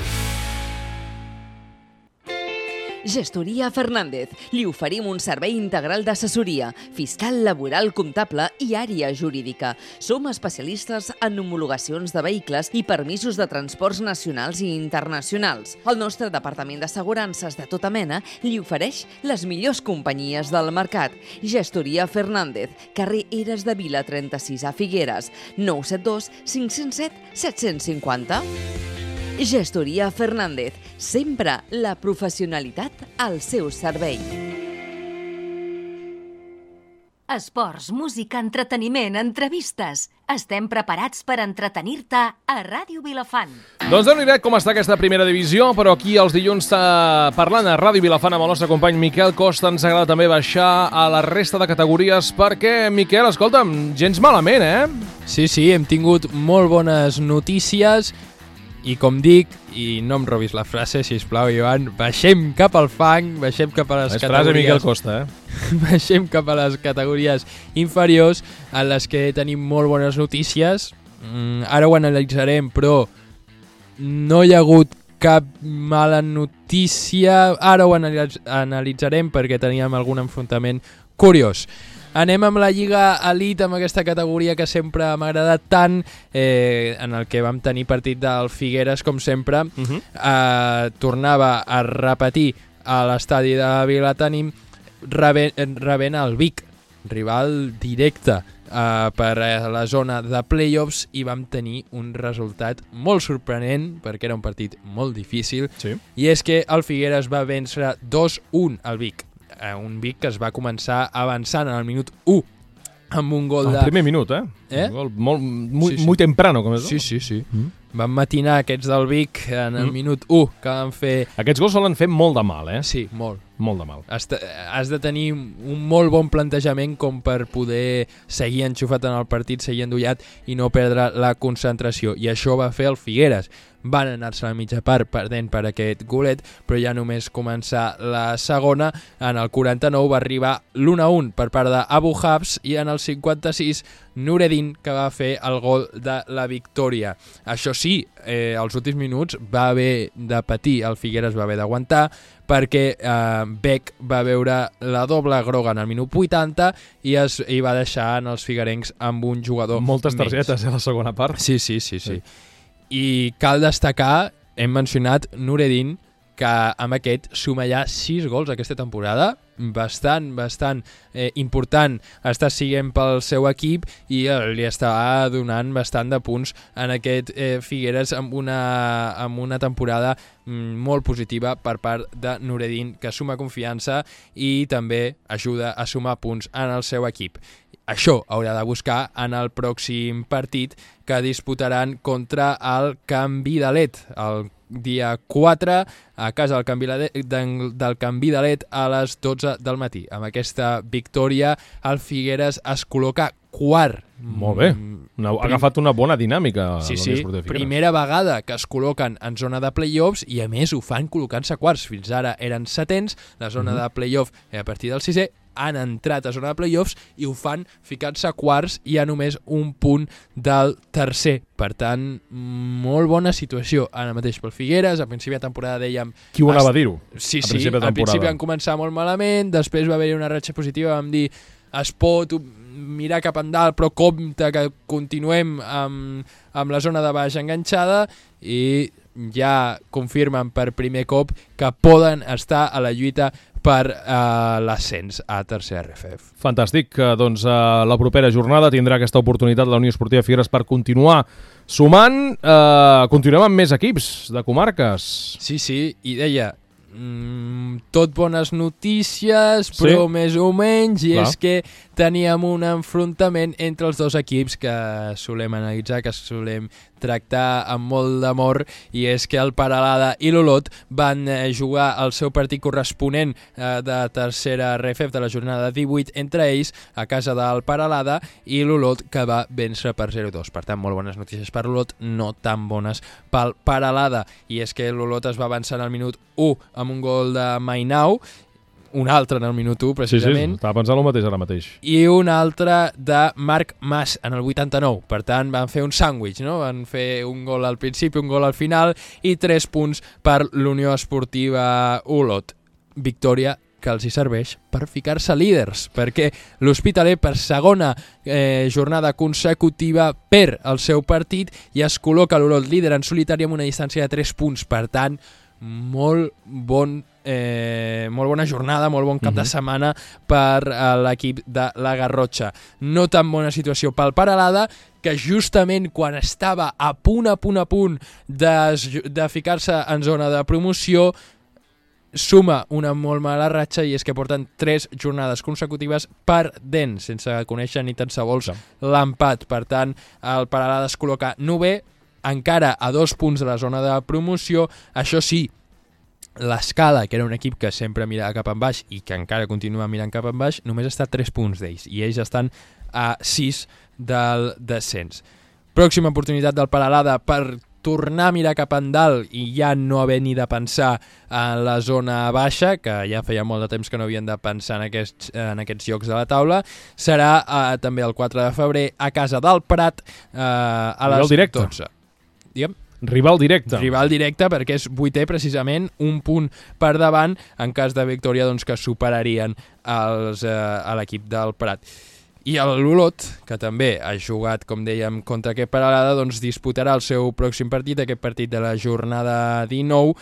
Gestoria Fernández. Li oferim un servei integral d'assessoria, fiscal, laboral, comptable i àrea jurídica. Som especialistes en homologacions de vehicles i permisos de transports nacionals i internacionals. El nostre departament d'assegurances de tota mena li ofereix les millors companyies del mercat. Gestoria Fernández, carrer Eres de Vila trenta-sis a Figueres, nou set dos, cinc zero set, set cinc zero. Gestoria Fernández, sempre la professionalitat al seu servei. Esports, música, entreteniment, entrevistes. Estem preparats per entretenir-te a Ràdio Vilafant. Doncs déu-n'hi-do com està aquesta primera divisió, però aquí els dilluns està parlant a Ràdio Vilafant amb el nostre company Miquel Costa. Ens agrada també baixar a la resta de categories perquè, Miquel, escolta'm, gens malament, eh? Sí, sí, hem tingut molt bones notícies. I com dic, i no em robis la frase, sisplau, Joan, baixem cap al fang, baixem cap a les és categories... frase Miquel Costa, eh? Baixem cap a les categories inferiors, en les que tenim molt bones notícies. Mm, ara ho analitzarem, però no hi ha hagut cap mala notícia. Ara ho analitzarem perquè teníem algun enfrontament curiós. Anem amb la Lliga Elite, amb aquesta categoria que sempre m'ha agradat tant, eh, en el que vam tenir partit del Figueres, com sempre. Uh-huh. eh, tornava a repetir a l'estadi de Vilatenim, rebent, rebent el Vic, rival directe eh, per a la zona de playoffs, i vam tenir un resultat molt sorprenent, perquè era un partit molt difícil, sí. I és que el Figueres va vèncer dos un al Vic. Un Vic que es va començar avançant en el minut u amb un gol de... El primer minut, eh? Eh? Un gol molt, muy, sí, sí. muy temprano, com és. Sí, sí, sí. Mm. Van matinar aquests del Vic en el mm. minut u, que van fer... Aquests gols solen fer molt de mal, eh? Sí, molt. Molt de mal. Has, de, has de tenir un molt bon plantejament com per poder seguir enxufat en el partit, seguir endollat i no perdre la concentració. I això va fer el Figueres. Van anar-se a la mitja part perdent per aquest golet, però ja només començar la segona. En el quaranta-nou va arribar l'u a un per part d'Abu Habs i en el cinquanta-sis Nureddin, que va fer el gol de la victòria. Això sí, eh, als últims minuts va haver de patir, el Figueres va haver d'aguantar, perquè eh, Beck va veure la doble groga en el minut vuitanta i es i va deixar en els figuerencs amb un jugador Moltes menys. targetes a la segona part. Sí, sí, sí, sí. sí. I cal destacar, hem mencionat Nureddin, que amb aquest suma ja sis gols aquesta temporada, bastant, bastant eh, important està siguent pel seu equip i eh, li està donant bastant de punts en aquest eh, Figueres amb una, amb una temporada mm, molt positiva per part de Nureddin, que suma confiança i també ajuda a sumar punts en el seu equip. Això haurà de buscar en el pròxim partit que disputaran contra el Can Vidalet, el dia quatre, a casa del Can Vidalet, del Can Vidalet a les dotze del matí. Amb aquesta victòria, el Figueres es col·loca quart. Molt bé, una, ha agafat una bona dinàmica. Sí, sí, primera vegada que es col·loquen en zona de play-offs i a més ho fan col·locant-se quarts. Fins ara eren setens, la zona mm-hmm. de play-off a partir del sisè, han entrat a zona de play-offs i ho fan ficant-se quarts i a només un punt del tercer. Per tant, molt bona situació ara mateix pel Figueres. A principi de temporada dèiem... Qui ho anava a dir-ho? Sí, sí, al principi van començar molt malament, després va haver-hi una ratxa positiva, vam dir es pot mirar cap endalt, però compte que continuem amb, amb la zona de baix enganxada i ja confirmen per primer cop que poden estar a la lluita per uh, l'ascens a tercer R F F. Fantàstic. Doncs uh, la propera jornada tindrà aquesta oportunitat la Unió Esportiva Figueres per continuar sumant. Uh, continuem amb més equips de comarques. Sí, sí, i deia... Mm, tot bones notícies, però sí. més o menys, i Clar. és que teníem un enfrontament entre els dos equips que solem analitzar, que solem tractar amb molt d'amor, i és que el Peralada i l'Olot van eh, jugar el seu partit corresponent eh, de tercera R F F de la jornada divuit entre ells a casa del Peralada i l'Olot, que va vèncer per zero a dos. Per tant, molt bones notícies per l'Olot, no tan bones pel Peralada, i és que l'Olot es va avançar en el minut u amb un gol de Mainau, un altre en el minut u, precisament. Sí, sí, estava pensant el mateix ara mateix. I un altre de Marc Mas, en el vuitanta-nou. Per tant, van fer un sàndwich, no? Van fer un gol al principi, un gol al final, i tres punts per l'Unió Esportiva Olot. Victòria que els hi serveix per ficar-se líders, perquè l'Hospitalet per segona eh, jornada consecutiva perd el seu partit i es col·loca l'Olot líder en solitari amb una distància de tres punts. Per tant, molt bon Eh, molt bona jornada, molt bon cap uh-huh. de setmana per uh, l'equip de la Garrotxa. No tan bona situació pel Peralada, que justament quan estava a punt, a punt, a punt de, de ficar-se en zona de promoció, suma una molt mala ratxa, i és que porten tres jornades consecutives perdent, sense conèixer ni tan sols l'empat. Per tant, el Peralada es col·loca novè, encara a dos punts de la zona de promoció. Això sí, l'Escala, que era un equip que sempre mirava cap en baix i que encara continua mirant cap en baix, només està a tres punts d'ells, i ells estan a sis del descens. Pròxima oportunitat del Peralada per tornar a mirar cap en dalt i ja no haver ni de pensar en la zona baixa, que ja feia molt de temps que no havien de pensar en aquests, en aquests llocs de la taula, serà eh, també el quatre de febrer a casa del Prat eh, a les dotze. Digue'm. Rival directe. Rival directe, perquè és vuitè precisament, un punt per davant, en cas de victòria doncs, que superarien els, eh, a l'equip del Prat. I l'Olot, que també ha jugat, com dèiem, contra aquest Peralada, doncs disputarà el seu pròxim partit, aquest partit de la jornada dinou,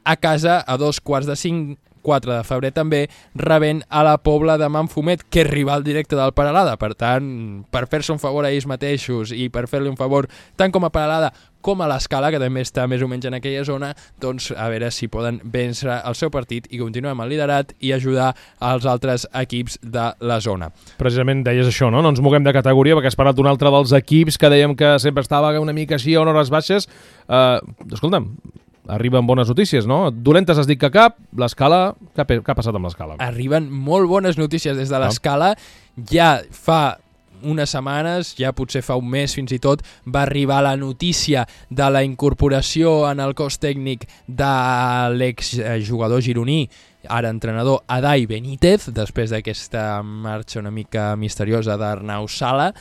a casa a dos quarts de cinc quatre de febrer també, rebent a la Pobla de Manfumet, que és rival directe del Peralada. Per tant, per fer-se un favor a ells mateixos i per fer-li un favor tant com a Peralada com a l'Escala, que també està més o menys en aquella zona, doncs a veure si poden vèncer el seu partit i continuar amb el liderat i ajudar als altres equips de la zona. Precisament deies això, no? No ens moguem de categoria perquè has parlat d'un altre dels equips que dèiem que sempre estava una mica així a hores baixes. Uh, escolta'm, arriben bones notícies, no? Dolentes has dit que cap, l'Escala... Què ha, què ha passat amb l'Escala? Arriben molt bones notícies des de l'Escala. Ja fa unes setmanes, ja potser fa un mes fins i tot, va arribar la notícia de la incorporació en el cos tècnic de l'exjugador gironí, ara entrenador, Adai Benítez, després d'aquesta marxa una mica misteriosa d'Arnau Sala.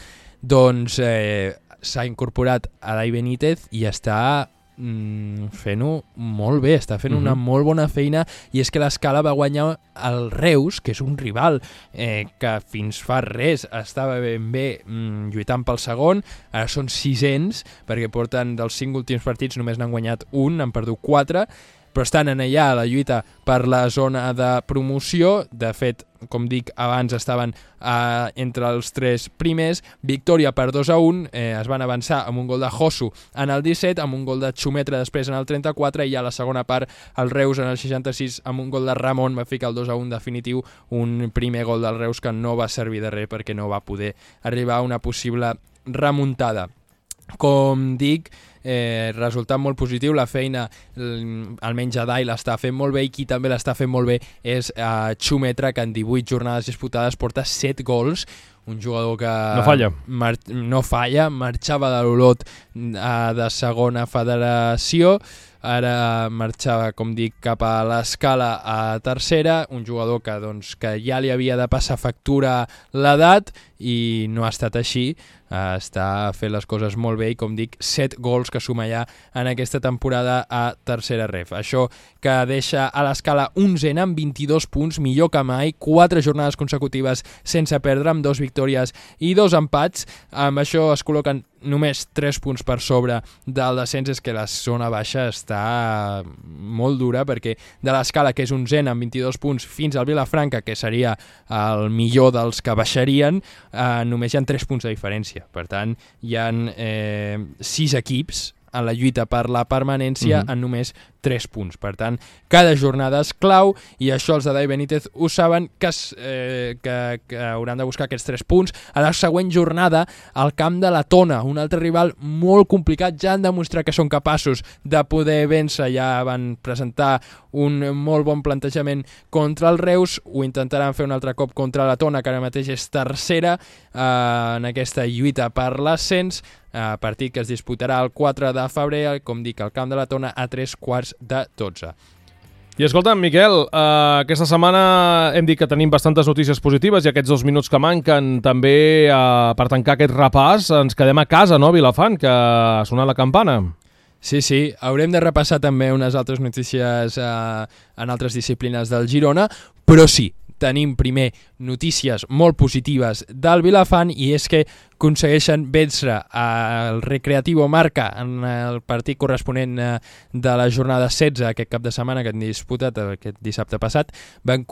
Doncs eh, s'ha incorporat Adai Benítez i està mm, fent-ho molt bé, està fent uh-huh. una molt bona feina, i és que l'Escala va guanyar el Reus, que és un rival eh, que fins fa res estava ben bé mm, lluitant pel segon. Ara són sisens, perquè porten dels cinc últims partits només n'han guanyat un, han perdut quatre, però estan en allà a la lluita per la zona de promoció. De fet, com dic, abans estaven eh, entre els tres primers. Victòria per dos a un, eh, es van avançar amb un gol de Josu en el disset, amb un gol de Xumetra després en el trenta-quatre, i a la segona part el Reus en el seixanta-sis amb un gol de Ramon va ficar el dos a un definitiu, un primer gol del Reus que no va servir de res perquè no va poder arribar a una possible remuntada. Com dic, eh, resultat molt positiu, la feina almenys Adai l'està fent molt bé, i qui també l'està fent molt bé és eh, Xumetra, que en divuit jornades disputades porta set gols, un jugador que no falla, mar no falla marxava de l'Olot eh, de segona federació, ara marxava, com dic, cap a l'Escala a tercera, un jugador que, doncs, que ja li havia de passar factura l'edat i no ha estat així. Uh, està fent les coses molt bé i, com dic, set gols que suma ja en aquesta temporada a tercera ref. Això que deixa a l'Escala onzena amb vint-i-dos punts, millor que mai, quatre jornades consecutives sense perdre, amb dos victòries i dos empats. Amb això es col·loquen només tres punts per sobre del descens. És que la zona baixa està molt dura, perquè de l'Escala, que és onzena amb vint-i-dos punts, fins al Vilafranca, que seria el millor dels que baixarien, eh, només hi ha tres punts de diferència. Per tant, hi ha eh, sis equips en la lluita per la permanència uh-huh. en només tres punts. Per tant, cada jornada és clau, i això els de Adai Benítez ho saben, que, es, eh, que, que hauran de buscar aquests tres punts. A la següent jornada, al camp de la Tona, un altre rival molt complicat, ja han demostrat que són capaços de poder vèncer, ja van presentar un molt bon plantejament contra el Reus, ho intentaran fer un altre cop contra la Tona, que ara mateix és tercera eh, en aquesta lluita per l'ascens. Uh, partit que es disputarà el quatre de febrer, com dic, al camp de la Tona, a tres quarts de dotze. I escolta'm, Miquel, uh, aquesta setmana hem dit que tenim bastantes notícies positives, i aquests dos minuts que manquen també, uh, per tancar aquest repàs, ens quedem a casa, no, Vilafant, que ha sonat la campana. Sí, sí, haurem de repassar també unes altres notícies uh, en altres disciplines del Girona, però sí, tenim primer notícies molt positives del Vilafant, i és que aconsegueixen vèncer el Recreativo Marca en el partit corresponent de la jornada setze, aquest cap de setmana que han disputat aquest dissabte passat. Van,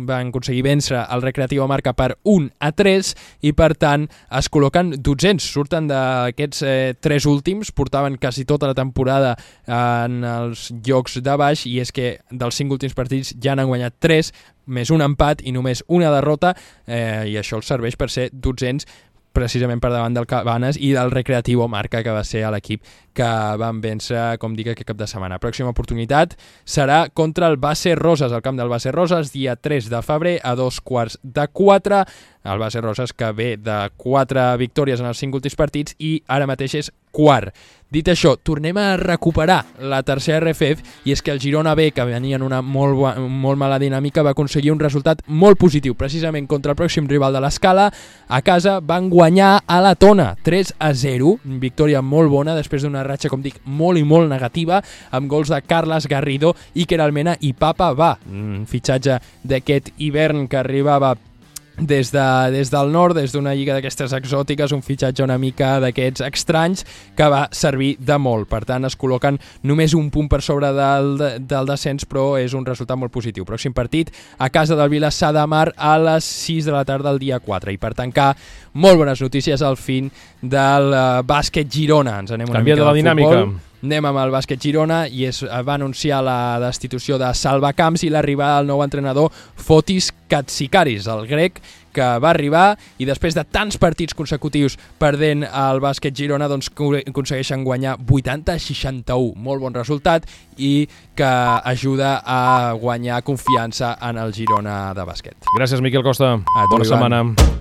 van aconseguir vèncer el Recreativo Marca per un a tres, i per tant es col·loquen dotzens, surten d'aquests eh, tres últims, portaven quasi tota la temporada en els llocs de baix, i és que dels cinc últims partits ja n'han guanyat tres, més un empat i només una derrota, eh, i això els serveix per ser dotzens, precisament per davant del Cabanes i del Recreativo Marca, que va ser l'equip que van vèncer, com dic, aquest cap de setmana. Pròxima oportunitat serà contra el Base Roses, al camp del Base Roses, dia tres de febrer a dos quarts de quatre. El Base Roses, que ve de quatre victòries en els cinc últims partits i ara mateix és quart. Dit això, tornem a recuperar la tercera R F F, i és que el Girona B, que venia en una molt, molt mala dinàmica, va aconseguir un resultat molt positiu, precisament contra el pròxim rival de l'Escala. A casa van guanyar a la Tona, tres a zero, victòria molt bona, després d'una ratxa, com dic, molt i molt negativa, amb gols de Carles Garrido, Iker Almena i Papa Va, un fitxatge d'aquest hivern que arribava des, de, des del nord, des d'una lliga d'aquestes exòtiques, un fitxatge una mica d'aquests estranys que va servir de molt. Per tant, es col·loquen només un punt per sobre del, del descens, però és un resultat molt positiu. Pròxim partit a casa del Vilassar de Mar a les sis de la tarda del dia quatre. I per tancar, molt bones notícies al fin del uh, bàsquet Girona. Ens anem una Canvia mica de la dinàmica. Futbol. Anem amb el bàsquet Girona i es va anunciar la destitució de Salvacamps i l'arribada del nou entrenador Fotis Katsikaris, el grec, que va arribar i després de tants partits consecutius perdent el bàsquet Girona, doncs aconsegueixen guanyar vuitanta a seixanta-u. Molt bon resultat i que ajuda a guanyar confiança en el Girona de bàsquet. Gràcies, Miquel Costa. A tu, Bona Ivan. setmana.